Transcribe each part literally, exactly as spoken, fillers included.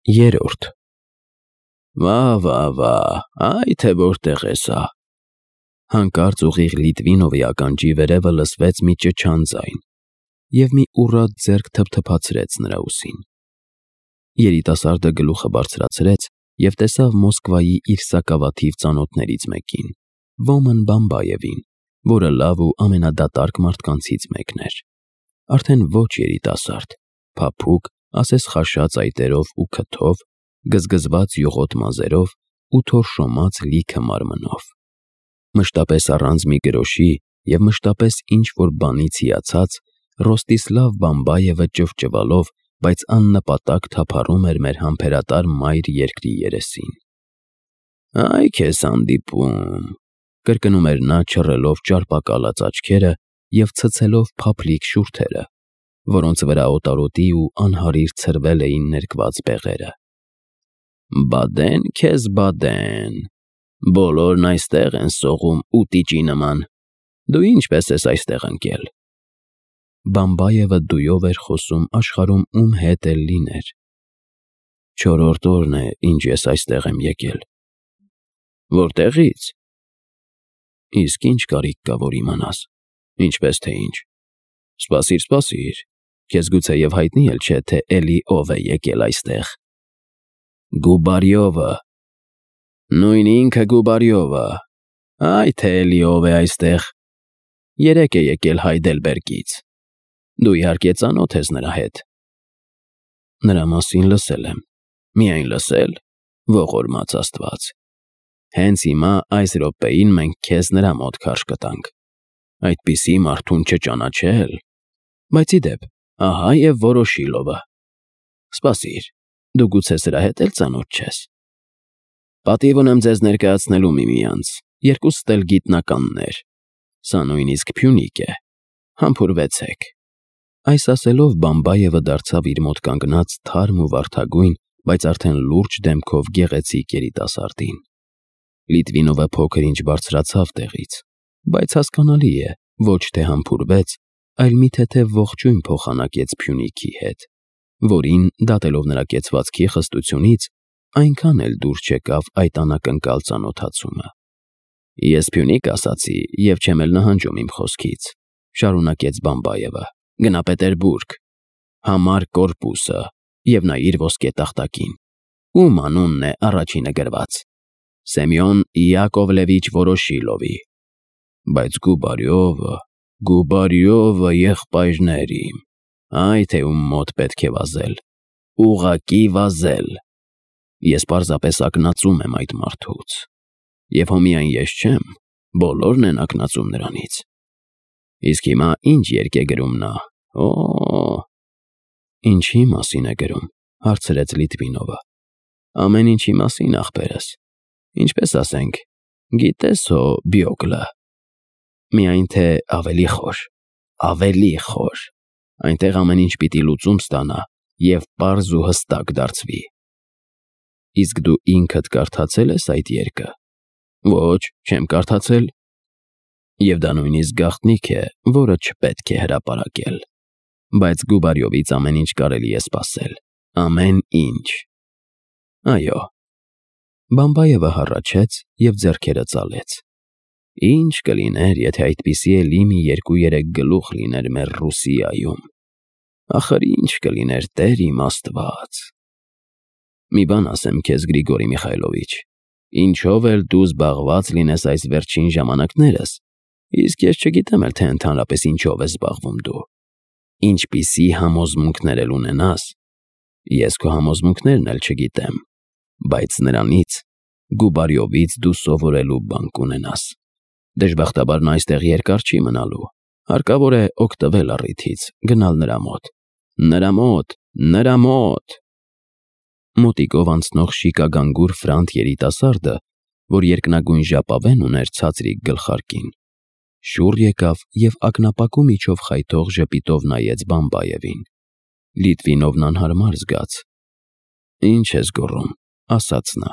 Երորդ Վա, վա, վա, այ թե որտեղ է սա։ Հանկարծ ուղիղ Լիտվինովի ականջի վերևը լսվեց մի ճչան ձայն, և մի ուռած ձեռք թփթփացրեց նրա ուսին։ Երիտասարդը գլուխը բարձրացրեց և տեսավ Մոսկվայի իր սակավաթիվ ծանոթներից մեկին, Ոմն Բամբայևին, որը լավ ու ամենադատարկ մարդկանցից մեկն էր։ Արդեն ոչ երիտասարդ, փափուկ, ասես խաշած այտերով ու քթով, գզգզված յուղոտ մազերով ու թորշոմած լիքը մարմնով։ Մշտապես առանց մի գրոշի և մշտապես ինչ-որ բանից հիացած, Ռոստիսլավ Բամբայևը ճվճվալով, բայց աննպատակ թափառում էր մեր համբերատար մայր երկրի երեսին։ «Այ քեզ հանդիպում», կրկնում էր նա, չռելով ճարպակալած աչքերը և ցցելով փափլիկ շուրթերը, որոնց վրա օտարոտի ու անհարիր ցրվել էին ներկված բեղերը։ «Բադեն քեզ, բադեն, բոլորն այստեղ են սողում ուտիճի նման, դու ինչպես ես այստեղ ընկել»։ Բամբայևը դույով էր խոսում աշխարհում ում հետ էլ լիներ։ «Չորրորդ օրն է, ինչ ես այստեղ եմ եկել»։ «Որտեղի՞ց»։ «Իսկ ինչ կարիք կա, որ իմանաս, ինչպես թե ինչ։ Սպասիր, սպասիր, քեզ գուցեև հայտնի էլ չէ, թե էլի ով է եկել այստեղ։ Գուբարյովը, նույն ինքը Գուբարյովը, այ թե էլի ով է այստեղ։ Երեկ է եկել Հայդելբերգից։ Դու իհարկե ծանոթ ես նրա հետ»։ «Նրա մասին լսել եմ»։ «Միայն լսել, ողորմած Աստված։ Հենց հիմա այս րոպեին մենք քեզ նրա մոտ քարշ կտանք։ Այդպիսի մարդուն չճանաչել… Բայց ի դեպ, ահա և Վորոշիլովը։ Սպասիր, դու գուցե սրա հետ էլ ծանոթ չես։ Պատիվ ունեմ ձեզ ներկայացնելու միմյանց, երկուսդ էլ գիտնականներ։ Սա նույնիսկ Փյունիկ է։ Համբուրվեցեք»։ Այս ասելով Բամբայևը դարձավ իր մոտ կանգնած թարմ ու վարդագույն, բայց արդեն լուրջ դեմքով գեղեցիկ երիտասարդին։ Լիտվինովը փոքր-ինչ բարձրացավ տեղից, բայց հասկանալի է, ոչ թե համբուրվեց, այլ մի թեթև ողջույն փոխանակեց Փյունիկի հետ, որին, դատելով նրա կեցվածքի խստությունից, այնքան էլ դուր չեկավ այդ անակնկալ ծանոթացումը։ «Ես Փյունիկ ասացի և չեմ էլ նահանջում իմ խոսքից», շարունակեց Բամբայևը։ «Գնա Պետերբուրգ, համար կորպուսը և նայիր ոսկե տախտակին։ Ում անունն է առաջինը գրված։ Սեմյոն Յակովլևիչ Վորոշիլովի։ Բայց Գուբարյովը, Գուբարյովը եղբայրներ իմ, այ թե ում մոտ պետք է վազել, ուղղակի վազել։ Ես պարզապես ակնածում եմ այդ մարդուց։ Եվ հո միայն ես չեմ, բոլորն են ակնածում նրանից։ Իսկ հիմա ինչ երգ է գրում նա, օ՜»։ «Ինչի մասին է գրում», հարցրեց Լիտվինովը։ «Ամեն ինչի մասին, ախպերս։ Ինչպես ասենք, գիտես հո Բյոգլը։ Միայն թե ավելի խոր, ավելի խոր։ Այնտեղ ամեն ինչ պիտի լուծում ստանա և պարզ ու հստակ դարձվի»։ «Իսկ դու ինքդ կարդացե՞լ ես այդ երգը»։ «Ոչ, չեմ կարդացել»։ «Եվ դա նույնիսկ գաղտնիք է, որը չպետք է հրապարակել։ Բայց Գուբարյովից ամեն ինչ կարելի է սպասել, ամեն ինչ»։ «Այո»։ Բամբայևը հառաչեց և ձեռքերը ծալեց։ «Ինչ կլիներ, եթե այդպիսի էլի մի երկու֊երեք գլուխ լիներ մեր Ռուսիայում։ Ախր ինչ կլիներ, Տեր իմ Աստված։ Մի բան ասեմ քեզ, Գրիգորի Միխայլովիչ, ինչով էլ դու զբաղված լինես այս վերջին ժամանակներս, իսկ ես չգիտեմ էլ, թե ընդհանրապես ինչով ես զբաղվում դու, ինչպիսի համոզմունքներ էլ ունենաս, ես քո համոզմունքներն էլ չգիտեմ, բայց նրանից, Գուբարյովից դու սովորելու բան կունենաս։ Դժբախտաբար նա այստեղ երկար չի մնալու, հարկավոր է օգտվել առիթից, գնալ նրա մոտ։ Նրա մոտ, նրա մոտ։ Մոտիկով անցնող շիկագանգուր ֆրանտ երիտասարդը, որ երկնագույն ժապավեն ուներ ցածրիկ գլխարկին, շուռ եկավ և ակնապակու միջով խայթող ժպիտով նայեց Բամբայևին։ Լիտվինովն անհարմար զգաց։ «Ինչ ես գոռում», ասաց նա,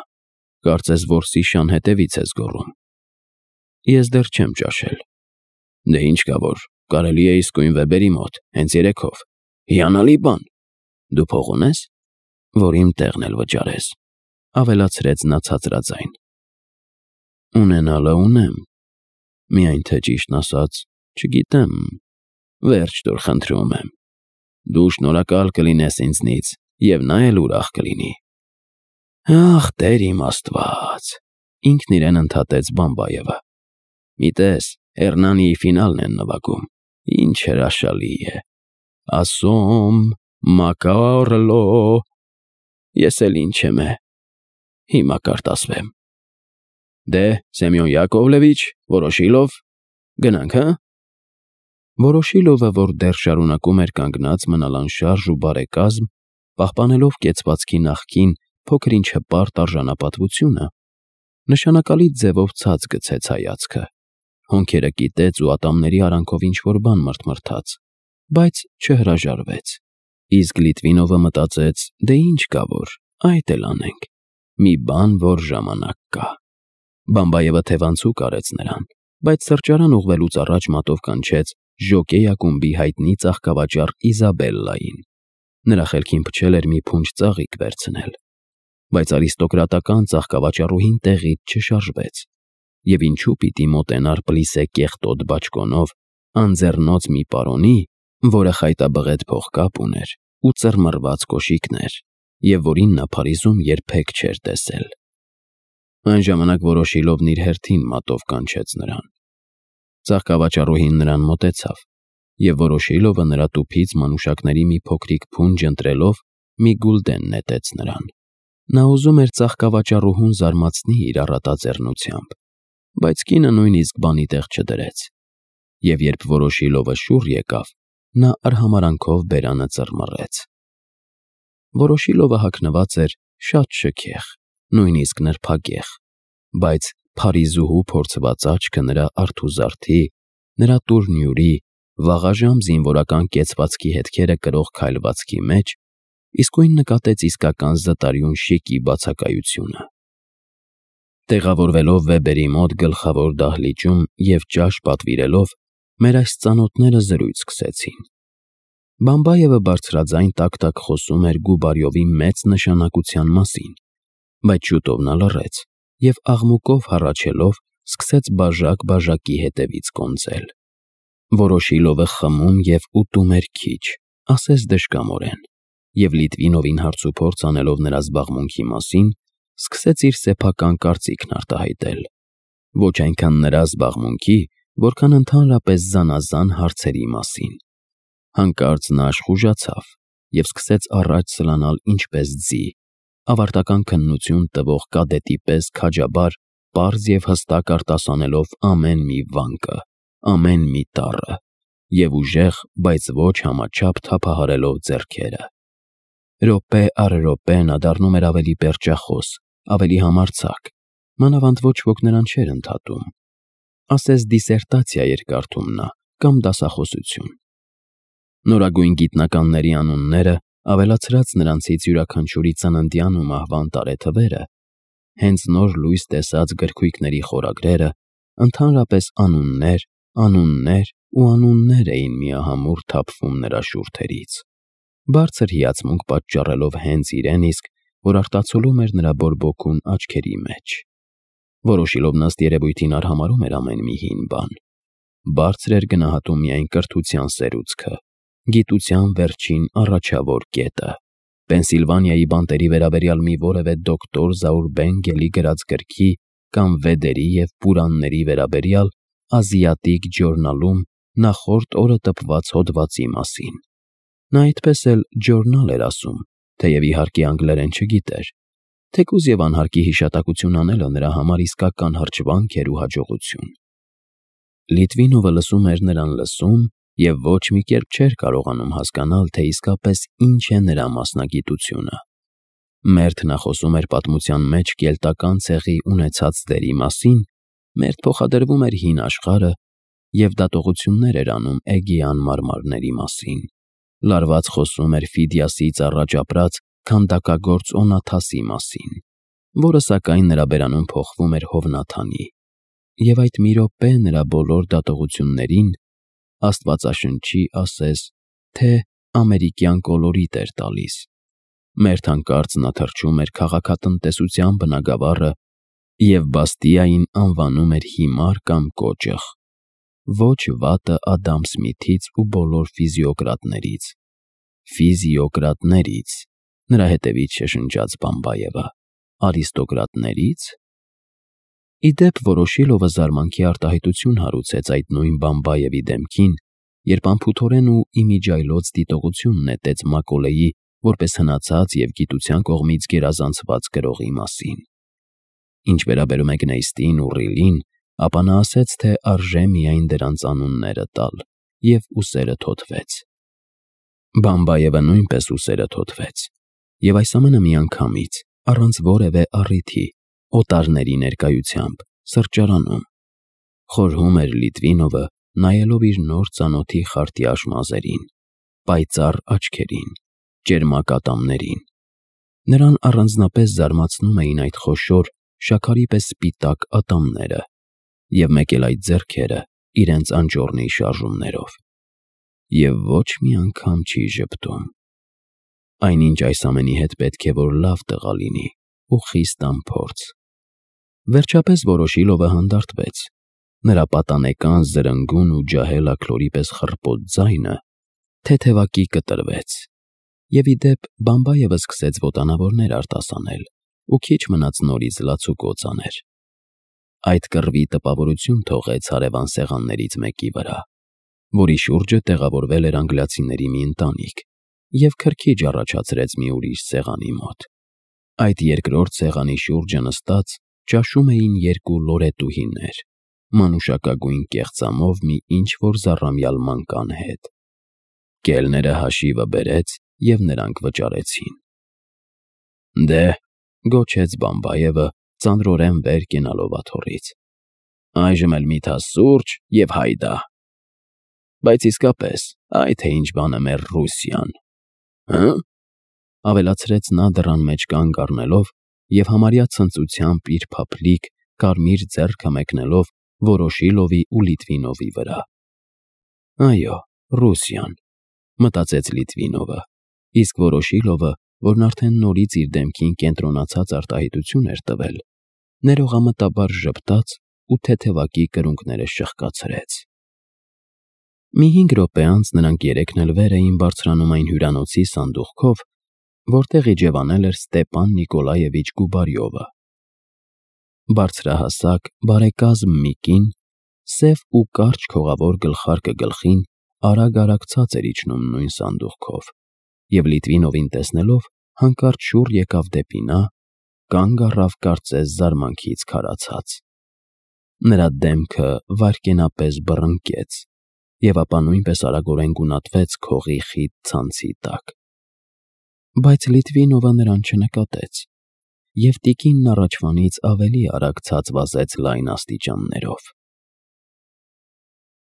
«կարծես որսի շան հետևից ես գոռում»։ «Ես դեռ չեմ ճաշել»։ «Դե ինչ կա որ, կարելի է իսկույն Վեբերի մոտ, հենց երեքով։ Հիանալի բան։ Դու փող ունե՞ս»։ որ իմ տեղն էլ վճարես, ավելացրեց նա ցածրաձայն։ Ունենալը ունեմ, միայն թե ճիշտն ասած, չգիտեմ, վերջ տուր խնդրում եմ, դու շնորհակալ կլինես ինձնից և նա էլ ուրախ կլինի։ Ախ, Տեր իմ Աստված, ինքն իրեն ընդհատեց Բամբայևը։ Մի տես, Հեռնանիի ֆինալն են նվագում, ինչ հրաշալի է, ասում, մակարլո, ես էլ ինչ եմ է, հիմա կարտասվեմ։ Դե, Սեմյոն Յակովլևիչ, Վորոշիլով, գնանք, հը։ Վորոշիլովը, որ դեռ շարունակում էր կանգնած մնալ անշարժ ու բարեկազմ, պահպանելով կեցվածքի նախկին փոքր-ինչ հպարտ արժանապատվությունը, նշանակալի ձևով ցած գցեց հայացքը, հոնքերը կիտեց ու ատամների արանքով ինչ-որ բան մրթմրթաց, բայց չհրաժարվեց, իսկ Լիտվինովը մտածեց, դե ինչ կա որ, այդ էլ անենք, մի բան, որ ժամանակ կա։ Բամբայևը թևանցուկ արեց նրան, բայց սրճարան ուղղվելուց առաջ մատով կանչեց Ժոկեյ ակումբի հայտնի ծաղկավաճառ Իզաբելլային։ Նրա խելքին փչել էր մի փունջ ծաղիկ վերցնել, բայց արիստոկրատական ծաղկավաճառուհին տեղից չշարժվեց, և ինչու պիտի մոտենար Պլիսե կեղտոտ բաճկոնով անձեռնոց մի պարոնի, որը խայտաբղետ փողկապ ուներ ու ծռմռված կոշիկներ, և որին նա Փարիզում երբեք չէր տեսել։ Այն ժամանակ Վորոշիլովն իր հերթին մատով կանչեց նրան։ Ծաղկավաճառուհին նրան մոտեցավ, և Վորոշիլովը նրա տուփից մանուշակների մի փոքրիկ փունջ ընտրելով մի գուլդեն նետեց նրան։ Նա ուզում էր ծաղկավաճառուհուն զարմացնի իր առատաձեռնությամբ, բայց կինը նույնիսկ բանի տեղ չդրեց, և երբ Վորոշիլովը շուռ եկավ, նա արհամարհանքով բերանը ծռմռեց։ Վորոշիլովը հագնված էր շատ շքեղ, նույնիսկ նրբագեղ, բայց Փարիզուհու փորձված աչքը նրա արթուզարդի, նրա տուրնյուրի, վաղաժամ զինվորական կեցվածքի հետքերը կրող քայլվածքի մեջ իսկույն նկատեց իսկական զտարյուն շիկի բացակայությունը։ Տեղավորվելով Վեբերի մոտ գլխավոր դահլիճում և ճաշ պատվիրելով, մեր այս ծանոթները զրույց սկսեցին։ Բամբայևը բարձրաձայն տակ-տակ խոսում էր Գուբարյովի մեծ նշանակության մասին, բայց շուտով նա լռեց և աղմուկով հառաչելով սկսեց բաժակ-բաժակի հետևից կոնծել։ Վորոշիլովը խմում և ուտում էր քիչ, ասես դժկամորեն, և Լիտվինովին հարցուփորձ անելով նրա զբաղմունքի մասին, սկսեց իր սեփական կարծիքն արտահայտել, ոչ այնքան նրա զբաղմունքի, որքան ընդհանրապես զանազան հարցերի մասին։ Հանկարծ նա աշխուժացավ և սկսեց առաջ սլանալ ինչպես ձի, ավարտական քննություն տվող կադետի պես քաջաբար, պարզ և հստակ արտասանելով ամեն մի վանկը, ամեն մի տառը, և ուժեղ, բայց ոչ համաչափ թափահարելով ձեռքերը։ Րոպե առ րոպե նա դառնում էր ավելի պերճախոս, ավելի համարձակ, մանավանդ ոչ ոք նրան չէր ընդհատում, ասես դիսերտացիա էր կարդում նա կամ դասախոսություն։ Նորագույն գիտնականների անունները, ավելացրած նրանցից յուրաքանչյուրի ծննդյան ու մահվան տարեթվերը, հենց նոր լույս տեսած գրքույկների խորագրերը, ընդհանրապես անուններ, անուններ ու անուններ էին միահամուռ թափվում նրա շուրթերից, բարձր հիացմունք պատճառելով հենց իրեն իսկ, որ արտացոլում էր նրա բորբոքուն աչքերի մեջ։ Վորոշիլովն ըստ երևույթին արհամարհում էր ամեն մի հին բան, բարձր էր գնահատում միայն կրթության սերուցքը, գիտության վերջին առաջավոր կետը, Պենսիլվանիայի բանտերի վերաբերյալ մի որևէ դոկտոր Զաուրբենգելի գրած գրքի կամ Վեդերի և Պուրանների վերաբերյալ ազիատիկ ջորնալում նախորդ օրը տպված հոդվածի մասին։ Նա այդպես էլ ջորնալ էր ասում, թեև իհարկե անգլերեն չգիտեր, թեկուզ և անհարկի հիշատակություն անելը նրա համար իսկական հրճվանք էր ու հաջողություն։ Լիտվինովը լսում էր նրան լսում և ոչ մի կերպ չէր կարողանում հասկանալ, թե իսկապես ինչ է նրա մասնագիտությունը։ Մերթ նա խոսում էր պատմության մեջ կելտական ցեղի ունեցած դերի մասին, մերթ փոխադրվում էր հին աշխարհը և դատողություններ էր անում Էգեան մարմարների մասին, լարված խոսում էր Ֆիդիասից առաջ ապրած քանդակագործ Օնաթասի մասին, որը սակայն նրա բերանում փոխվում էր Հովնաթանի, և այդ մի րոպե նրա բոլոր դատողություններին, աստվածաշնչի ասես, թե ամերիկյան կոլորիտ էր տալիս, Մերթ հանկարծ նա թռչում էր քաղաքատնտեսության բնագավառը և Բաստիային անվանում էր հիմար կամ կոճղ, ոչ վատը Ադամ Սմիթից ու բոլոր ֆիզիոկրատներից։ Ֆիզիոկրատների՞ց, նրա հետևից շշնջաց Բամբայևը, արիստոկրատների՞ց։ Ի դեպ, Վորոշիլովը զարմանքի արտահայտություն հարուցեց այդ նույն Բամբայևի դեմքին, երբ անփութորեն ու իմիջիայլոց դիտողություն նետեց Մակոլեի որպես հնացած և գիտության կողմից գերազանցված գրողի մասին։ Ինչ վերաբերում է Գնեյստին ու Ռիլին, ապա նա ասեց, թե արժե միայն դրանց անունները տալ, և ուսերը թոթվեց։ Բամբայևը նույնպես ուսերը թոթվեց, և այս ամենը միանգամից, առանց որևէ առիթի, օտարների ներկայությամբ, սրճարանում։ Խորհում էր Լիտվինովը, նայելով իր նոր ծանոթի խարտյաշ մազերին, պայծառ աչքերին, ճերմակ ատամներին։ Նրան առանձնապես զարմացնում էին այդ խոշոր, շաքարի պես սպիտակ ատամները և մեկ էլ այդ ձեռքերը իրենց անճոռնի շարժումներով։ Եվ ոչ մի անգամ չի ժպտում։ Այնինչ այս ամենի հետ պետք է որ լավ տղա լինի ու խիստ անփորձ։ Վերջապես Վորոշիլովը հանդարտվեց։ Նրա պատանեկան զրնգուն ու ջահել աքլորի պես խռպոտ ձայնը թեթևակի կտրվեց, և ի դեպ Բամբայևը սկսեց ոտանավորներ արտասանել ու քիչ մնաց նորից լացուկոծ աներ։ Այդ կռվի տպավորություն թողեց հարևան սեղաններից մեկի վրա, որի շուրջը տեղավորվել էր անգլիացիների մի ընտանիք, և քրքիջ առաջացրեց մի ուրիշ սեղանի մոտ։ Այդ երկրորդ սեղանի շուրջը նստած ճաշում էին երկու լորետուհիներ, մանուշակագույն կեղծամով մի ինչ-որ զառամյալ մանկան հետ։ Կելները հաշիվը բերեց, և նրանք վճարեցին։ «Դե՛», գոչեց Բամբայևը, ծանրորեն վեր կենալով աթոռից, «այժմ էլ մի թաս սուրճ և հայդա։ Բայց իսկապես, այ թե ինչ բան է մեր Ռուսիան, հը՞», ավելացրեց նա դռան մեջ կանգ առնելով և համարյա ցնծությամբ իր փափլիկ, կարմիր ձեռքը մեկնելով Վորոշիլովի ու Լիտվինովի վրա։ «Այո, Ռուսիան», մտածեց Լիտվինովը, իսկ Վորոշիլովը, որն արդեն նորից իր դեմքին կենտրոնացած արտահայտություն էր տվել, ներողամտաբար ժպտաց ու թեթևակի կրունկները շրխկացրեց։ Մի հինգ րոպե անց նրանք երեքն էլ վեր էին բարձրանում այն հյուրանոցի սանդուղքով, որտեղ իջևանել էր Ստեպան Նիկոլաևիչ Գուբարյովը։ Բարձրահասակ, բարեկազմ մի կին, սև ու կարճ քողավոր գլխարկը գլխին, արագ-արագ ցած էր իջնում նույն սանդուղքով, և Լիտվինովին տեսնելով հանկարծ շուռ եկավ դեպի նա, կանգ առավ կարծես զարմանքից քարացած։ Նրա դեմքը վայրկենապես բռնկեց, և ապա նույնպես արագորեն գունատվեց քողի խիտ ցանցի տակ։ Բայց Լիտվինովը նրան չնկատեց, և տիկինն առաջվանից ավելի արագ ցած վազեց լայն աստիճաններով։